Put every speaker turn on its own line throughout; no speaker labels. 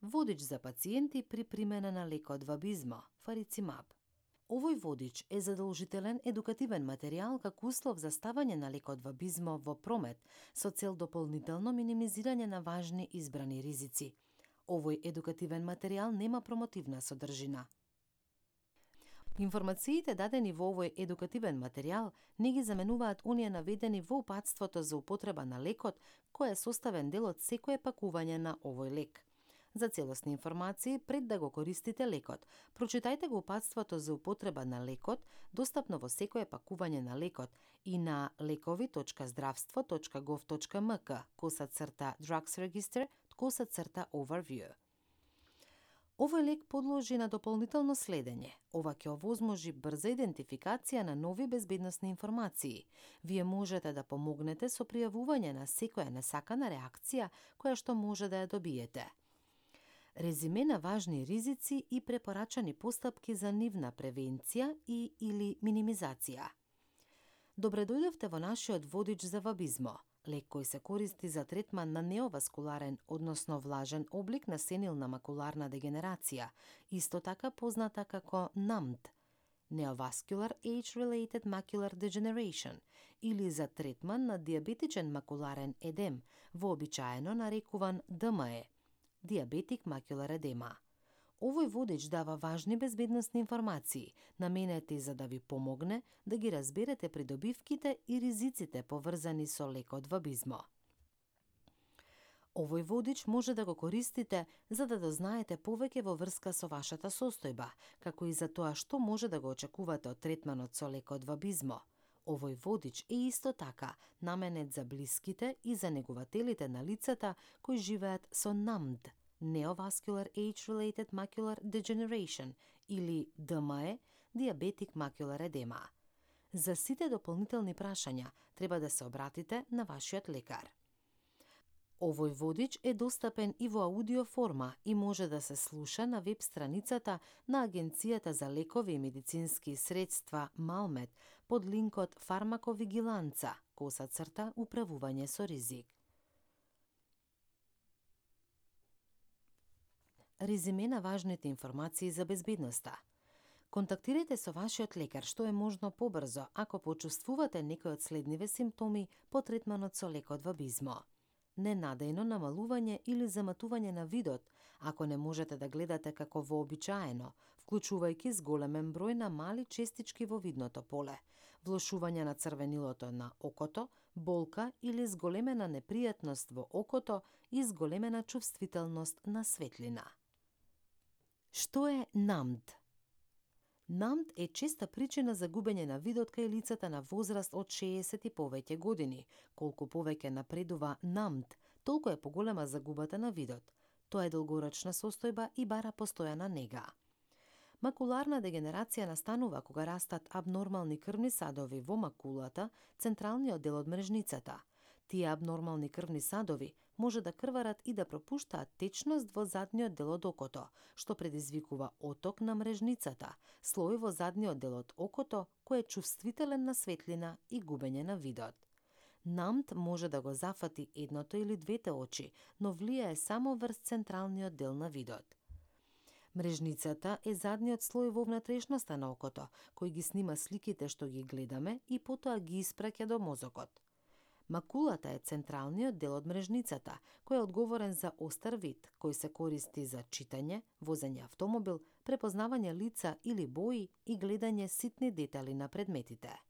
Водич за пациенти при примена на лекот Вабизмо, Фарицимаб. Овој водич е задолжителен едукативен материјал како услов за ставање на лекот Вабизмо во промет со цел дополнително минимизирање на важни избрани ризици. Овој едукативен материјал нема промотивна содржина. Информациите дадени во овој едукативен материјал не ги заменуваат оние наведени во упатството за употреба на лекот, кој е составен дел од секое пакување на овој лек. За целосни информации, пред да го користите лекот, прочитајте го упатството за употреба на лекот, достапно во секое пакување на лекот и на lekovi.zdravstvo.gov.mk / Drugs Register / Overview. Овој лек подложи на дополнително следење. Ова ќе овозможи брза идентификација на нови безбедносни информации. Вие можете да помогнете со пријавување на секоја несакана реакција која што може да ја добиете. Резиме на важни ризици и препорачани постапки за нивна превенција и или минимизација. Добре дојдовте во нашиот водич за Вабизмо, лек кој се користи за третман на неоваскуларен, односно влажен облик на сенилна макуларна дегенерација, исто така позната како NAMD, Neovascular Age-Related Macular Degeneration, или за третман на диабетичен макуларен едем, вообичаено нарекуван DME, Diabetic Macular Edema. Овој водич дава важни безбедносни информации, наменети за да ви помогне да ги разберете придобивките и ризиците поврзани со лекот Вабизмо. Овој водич може да го користите за да дознаете повеќе во врска со вашата состојба, како и за тоа што може да го очекувате од третманот со лекот Вабизмо. Овој водич е исто така наменет за блиските и за негувателите на лицата кои живеат со NAMD, Neovascular Age-Related Macular Degeneration, или DME, Diabetic Macular Edema. За сите дополнителни прашања треба да се обратите на вашиот лекар. Овој водич е достапен и во аудио форма и може да се слуша на веб страницата на Агенцијата за лекови и медицински средства Малмед под линкот Фармаковигиланца / Управување со ризик. Резиме на важните информации за безбедноста. Контактирајте со вашиот лекар што е можно побрзо ако почувствувате некој од следниве симптоми по третманот со лекот Вабизмо. Ненадејно намалување или заматување на видот, ако не можете да гледате како вообичаено, вклучувајќи зголемен број на мали честички во видното поле, влошување на црвенилото на окото, болка или зголемена непријатност во окото и зголемена чувствителност на светлина. Што е NAMD? NAMD е честа причина за губење на видот кај лицата на возраст од 60 и повеќе години. Колку повеќе напредува NAMD, толку е поголема загубата на видот. Тоа е долгорочна состојба и бара постојана нега. Макуларна дегенерација настанува кога растат абнормални крвни садови во макулата, централниот дел од мрежницата. Тие абнормални крвни садови може да крварат и да пропуштаат течност во задниот дел од окото, што предизвикува оток на мрежницата, слој во задниот дел од окото кој е чувствителен на светлина и губење на видот. NAMD може да го зафати едното или двете очи, но влијае само врз централниот дел на видот. Мрежницата е задниот слој во внатрешноста на окото, кој ги снима сликите што ги гледаме и потоа ги испраќа до мозокот. Макулата е централниот дел од мрежницата, кој е одговорен за остар вид, кој се користи за читање, возење автомобил, препознавање лица или бои и гледање ситни детали на предметите.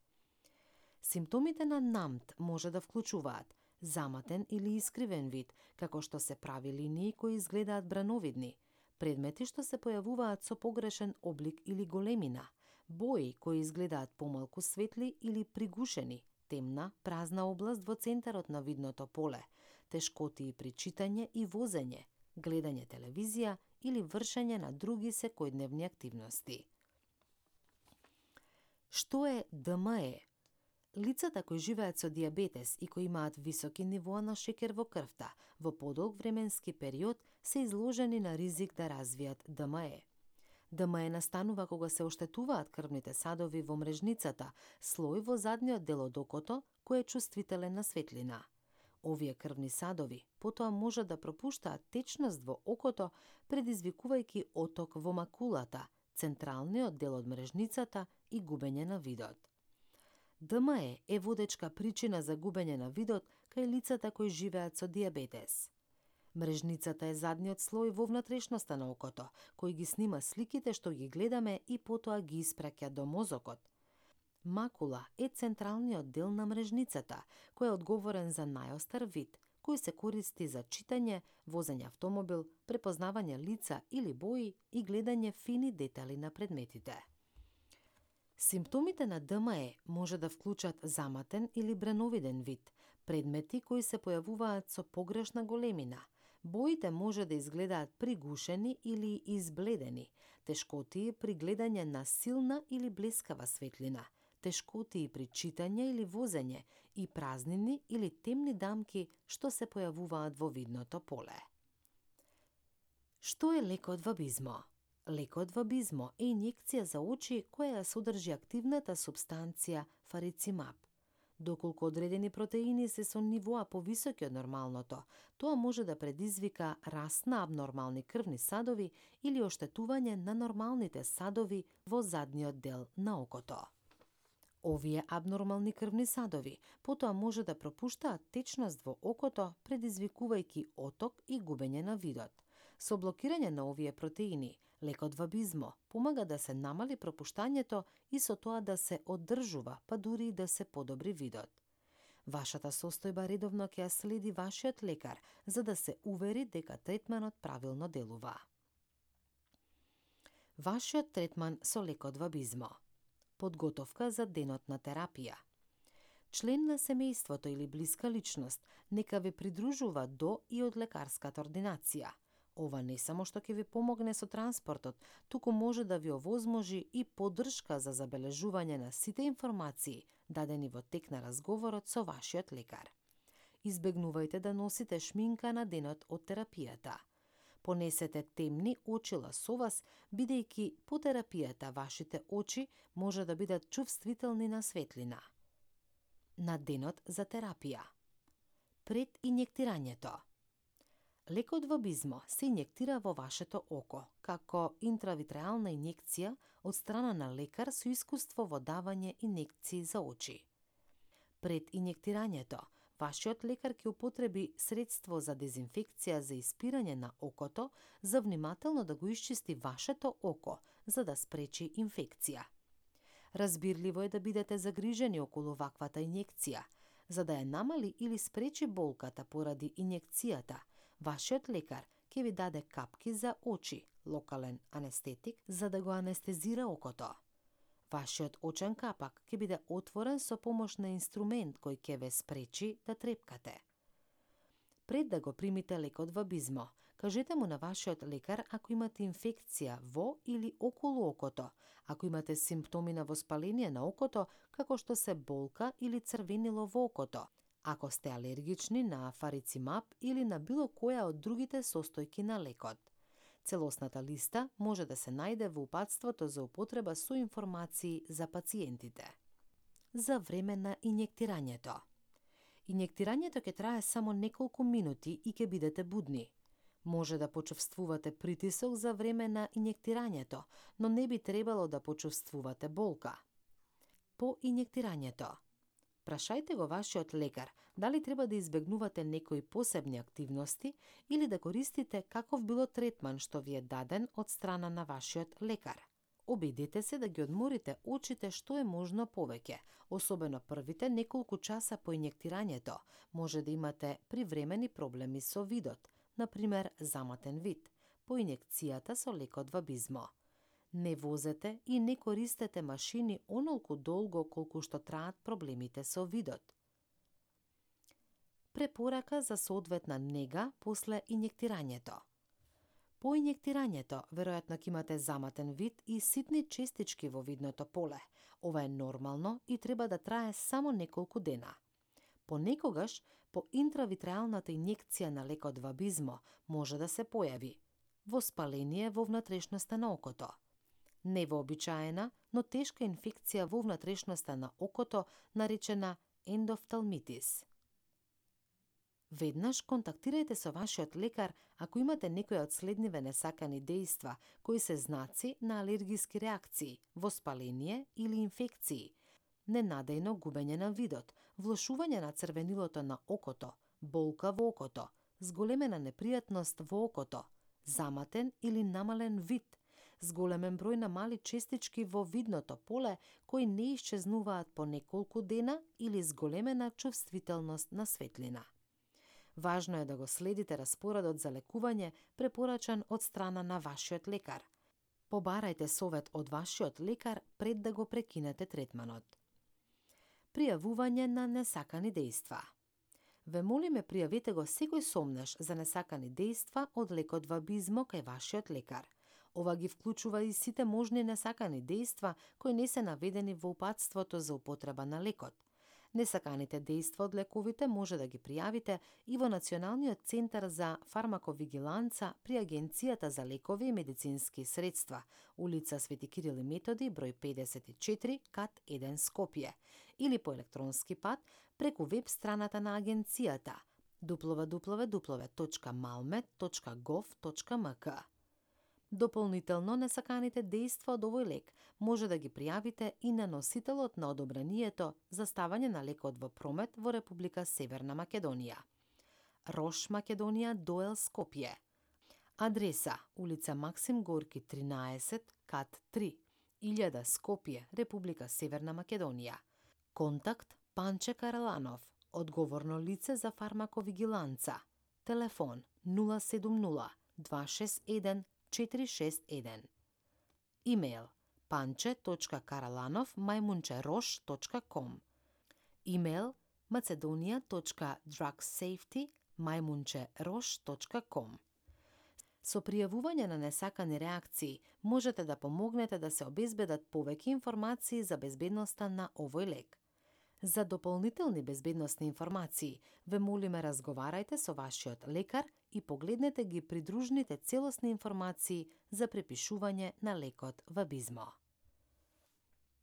Симптомите на NAMD може да вклучуваат заматен или искривен вид, како што се прави линии кои изгледаат брановидни, предмети што се појавуваат со погрешен облик или големина, бои кои изгледаат помалку светли или пригушени, темна, празна област во центарот на видното поле, тешкотии при читање и возење, гледање телевизија или вршење на други секојдневни активности. Што е DME? Лицата кои живеат со диабетес и кои имаат високи нивоа на шекер во крвта, во подолг временски период се изложени на ризик да развијат DME. DME настанува кога се оштетуваат крвните садови во мрежницата, слој во задниот дел од окото кој е чувствителен на светлина. Овие крвни садови потоа може да пропуштаат течност во окото, предизвикувајќи оток во макулата, централниот дел од мрежницата и губење на видот. ДМЕ е водечка причина за губење на видот кај лицата кои живеат со дијабетес. Мрежницата е задниот слој во внатрешноста на окото, кој ги снима сликите што ги гледаме и потоа ги испраќа до мозокот. Макула е централниот дел на мрежницата, кој е одговорен за најостар вид, кој се користи за читање, возење автомобил, препознавање лица или бои и гледање фини детали на предметите. Симптомите на ДМЕ може да вклучат заматен или бреновиден вид, предмети кои се појавуваат со погрешна големина. Боите може да изгледаат пригушени или избледени, тешкотии при гледање на силна или блескава светлина, тешкотии при читање или возење и празнини или темни дамки што се појавуваат во видното поле. Што е лекот вабизмо? Лекот вабизмо е инјекција за очи која ја содржи активната супстанција фарицимаб. Доколку одредени протеини се со нивоа повисоки од нормалното, тоа може да предизвика раст на абнормални крвни садови или оштетување на нормалните садови во задниот дел на окото. Овие абнормални крвни садови потоа може да пропуштаат течност во окото, предизвикувајќи оток и губење на видот. Со блокирање на овие протеини, лекот вабизмо помага да се намали пропуштањето и со тоа да се оддржува, па дури и да се подобри видот. Вашата состојба редовно ќе ја следи вашиот лекар, за да се увери дека третманот правилно делува. Вашиот третман со лекот вабизмо. Подготовка за денот на терапија. Член на семејството или блиска личност нека ве придружува до и од лекарската ординација. Ова не само што ќе ви помогне со транспортот, туку може да ви овозможи и поддршка за забележување на сите информации дадени во тек на разговорот со вашиот лекар. Избегнувајте да носите шминка на денот од терапијата. Понесете темни очила со вас, бидејќи по терапијата вашите очи може да бидат чувствителни на светлина. На денот за терапија. Пред инјектирањето. Лекот вабизмо се инјектира во вашето око, како интравитреална инјекција од страна на лекар со искуство во давање инјекции за очи. Пред инјектирањето, вашиот лекар ќе употреби средство за дезинфекција за испирање на окото, за внимателно да го исчисти вашето око, за да спречи инфекција. Разбирливо е да бидете загрижени околу ваквата инјекција, за да ја намали или спречи болката поради инјекцијата. Вашиот лекар ќе ви даде капки за очи, локален анестетик, за да го анестезира окото. Вашиот очен капак ќе биде отворен со помош на инструмент кој ќе ве спречи да трепкате. Пред да го примите лекот вабизмо, кажете му на вашиот лекар ако имате инфекција во или околу окото, ако имате симптоми на воспаление на окото, како што се болка или црвенило во окото, ако сте алергични на фарицимаб или на било која од другите состојки на лекот. Целосната листа може да се најде во упатството за употреба со информации за пациентите. За време на инјектирањето. Инјектирањето ќе трае само неколку минути и ќе бидете будни. Може да почувствувате притисок за време на инјектирањето, но не би требало да почувствувате болка. По инјектирањето. Прашајте го вашиот лекар дали треба да избегнувате некои посебни активности или да користите каков било третман што ви е даден од страна на вашиот лекар. Обидете се да ги одморите очите што е можно повеќе, особено првите неколку часа по инјектирањето. Може да имате привремени проблеми со видот, например заматен вид, по инјекцијата со лекот вабизмо. Не возете и не користете машини онолку долго колку што траат проблемите со видот. Препорака за соодветна нега после инјектирањето. По инјектирањето, веројатно ќе имате заматен вид и ситни честички во видното поле. Ова е нормално и треба да трае само неколку дена. Понекогаш, по интравитреалната инјекција на лекот вабизмо може да се појави воспаление во внатрешноста на окото, невообичаена, но тешка инфекција во внатрешноста на окото, наречена ендофталмитис. Веднаш контактирајте со вашиот лекар ако имате некои од следниве несакани дејства, кои се знаци на алергиски реакции, воспаление или инфекции, ненадејно губење на видот, влошување на црвенилото на окото, болка во окото, зголемена непријатност во окото, заматен или намален вид, зголемен број на мали честички во видното поле кои не исчезнуваат по неколку дена или зголемена чувствителност на светлина. Важно е да го следите распоредот за лекување препорачан од страна на вашиот лекар. Побарајте совет од вашиот лекар пред да го прекинете третманот. Пријавување на несакани дејства. Ве молиме пријавете го секој сомнеш за несакани дејства од лекот вабизмо кај вашиот лекар. Ова ги вклучува и сите можни несакани дејства кои не се наведени во упатството за употреба на лекот. Несаканите дејства од лековите може да ги пријавите и во Националниот центар за фармаковигиланца при Агенцијата за лекови и медицински средства, улица Свети Кирил и Методи, број 54, кат 1 Скопје, или по електронски пат преку веб страната на агенцијата www.malmed.gov.mk. Дополнително, несаканите дејства од овој лек може да ги пријавите и на носителот на одобрението за ставање на лекот во промет во Република Северна Македонија. Рош Македонија, Доел, Скопје. Адреса: улица Максим Горки 13, кат 3, 1000 Скопје, Република Северна Македонија. Контакт: Панче Караланов, одговорно лице за фармаковигиланца. Телефон 070 261 461. Имејл: panche.karalanov@rosh.com. Имејл: macedonia.drugsafety@rosh.com. Со пријавување на несакани реакции можете да помогнете да се обезбедат повеќе информации за безбедноста на овој лек. За дополнителни безбедносни информации, ве молиме разговарајте со вашиот лекар и погледнете ги придружните целосни информации за препишување на лекот вабизмо.